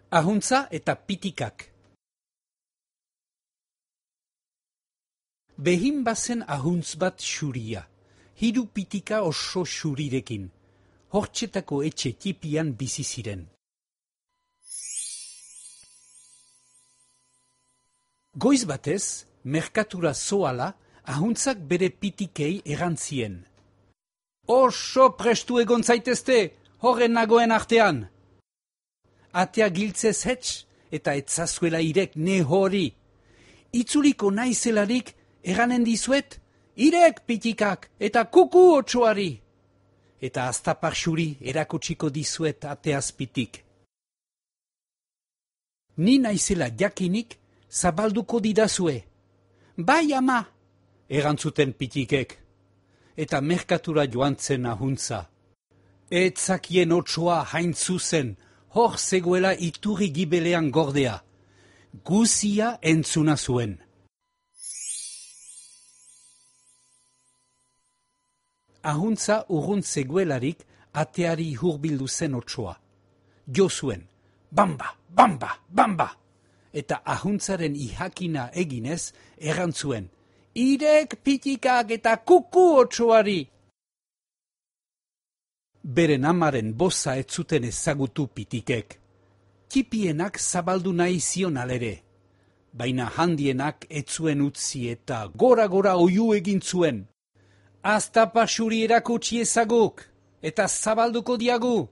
Ahuntza eta pitikak. Behin bazen ahuntz bat xuria, 3 pitika oso xurirekin, hortxetako etxe tipian bizi ziren. Goiz batez, merkatura zoala, ahuntzak bere pitikei erantzien. Oso prestu egon zaitezte, horren nagoen artean. Atea giltzez hetz eta etzazuela irek ne hori. Itzuliko naizelarik eranen dizuet, irek pitikak eta kuku otsoari. Eta aztapar xuri erakutsiko dizuet ateaz pitik. Ni naizela jakinik zabalduko didazue. Bai ama, erantzuten pitikek. Eta merkatura joan zen ahuntza. Etzakien otsoa hain zuzen, hor zegoela iturri gibelean gordea. Guzia entzuna zuen. Ahuntza urrunt zegoelarik ateari hurbildu zen otsoa. Jo zuen, bamba, bamba, bamba! Eta ahuntzaren ihakina eginez erantzuen, irek pitikak eta kuku otsoari! Beren amaren boza ez zuten ezagutu pitikek. Tipienak zabaldu nahi zion alere. Baina handienak ez zuen utzi eta gora-gora oihu egin zuen. Aztapa xuri erakutsi ezaguk, eta zabalduko diagu.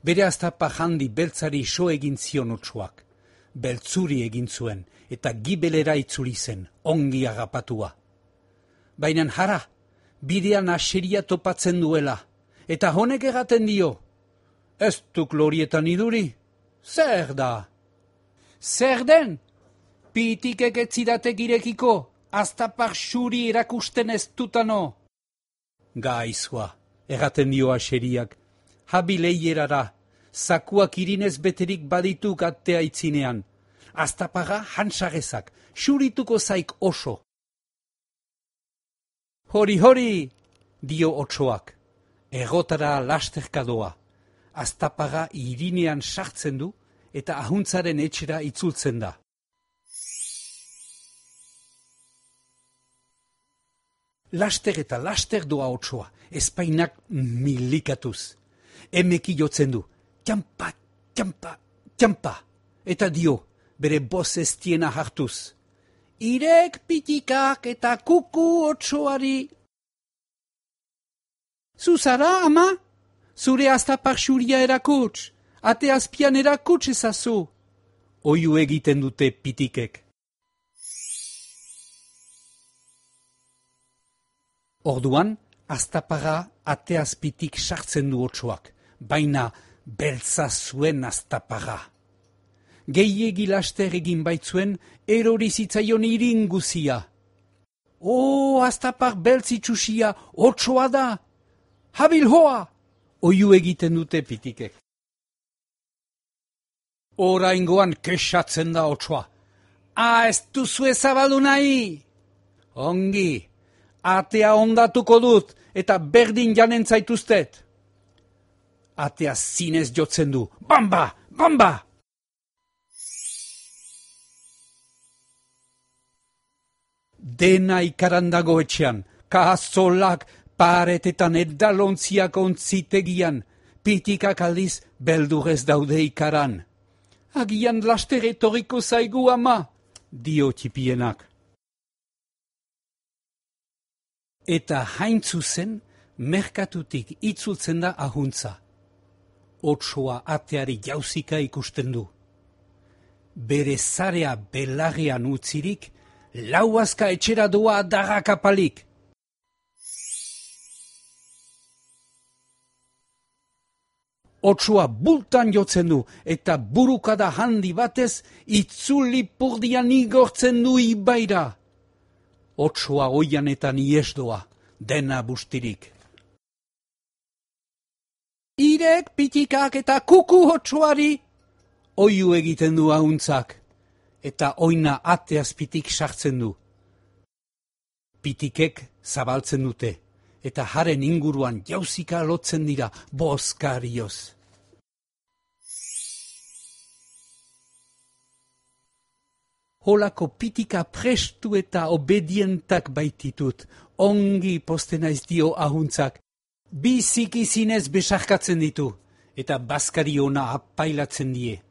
Bere aztapa handi beltzari so egin zion otsoak. Beltzuri egin zuen, eta gibelera itzuli zen, ongi agapatua. Baina jara, bidean aseria topatzen duela, eta honek egaten dio. Ez duk lorietan iduri? Zer da? Zer den? Pitikek ez zidatek irekiko, aztapar xuri erakusten ez dutano. Gaizua, egaten dio aseriak, habileierara, zakuak irinez beterik badituk atea itzinean. Aztapaga hansagezak, xurituko zaik oso. Hori, hori, dio otsoak, egotara lasterka doa. Aztapaga irinean sartzen du eta ahuntzaren etxera itzultzen da. Laster eta laster doa otsoa, espainak milikatuz. Emeki jotzen du, txampa, txampa, txampa, eta dio, bere boz estiena hartuz. Irek pitikak eta kuku otsoari. Zuzara, ama? Zure aztapar xuria erakuts, ate azpian erakuts ezazu. Oihu egiten dute pitikek. Orduan, aztapara ate azpitik sartzen du otsoak, baina beltza zuen aztapara. Gehiegi laster egin baitzuen, erori zitzaion iringuzia. Aztapar beltzitsusia, otsoa da! Habil hoa! Oihu egiten dute pitikek. Oraingoan kexatzen da otsoa. Ez duzu ezabaldu nahi! Ongi, atea ondatuko dut eta berdin janen zaituztet. Atea zinez jotzen du. Bamba! Bamba! Dena ikaran dago etxean, kazolak, paretetan edalontziak ontzitegian, pitikak aldiz beldurez daude ikaran. Agian laster etorriko zaigu ama, dio tipienak. Eta hain zuzen, merkatutik itzultzen da ahuntza. Otsoa ateari jauzika ikusten du. Bere zarea belarrean utzirik, lauazka etxera doa darrakapalik. Otsoa bultan jotzen du eta burukada handi batez itzuli purdian igortzen du ibaira. Otsoa oianetan ies doa, dena bustirik. Irek pitikak eta kuku otsoari, oihu egiten du ahuntzak. Eta oina ate azpitik sartzen du. Pitikek zabaltzen dute, eta haren inguruan jauzika lotzen dira bozkarioz. Holako pitika prestu eta obedientak baititut, ongi posten naiz dio ahuntzak, biziki zinez besarkatzen ditu, eta bazkari ona apailatzen die.